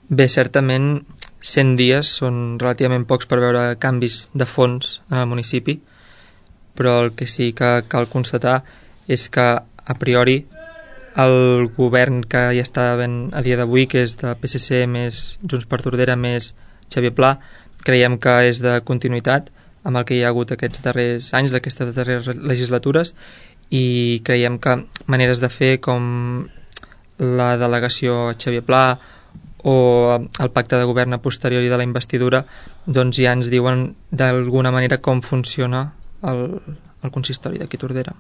Bé, certament 100 dies són relativament pocs per veure canvis de fons en el municipi, però el que sí que cal constatar és que a priori el govern que hi està havent a dia d'avui, que és de PSC més Junts per Tordera més Xavier Pla, creiem que és de continuïtat amb el que hi ha hagut aquests darrers anys, d'aquestes darreres legislatures, i creiem que maneres de fer com la delegació Xavier Pla o el pacte de govern a posteriori de la investidura doncs ja ens diuen d'alguna manera com funciona el consistori d'aquí Tordera.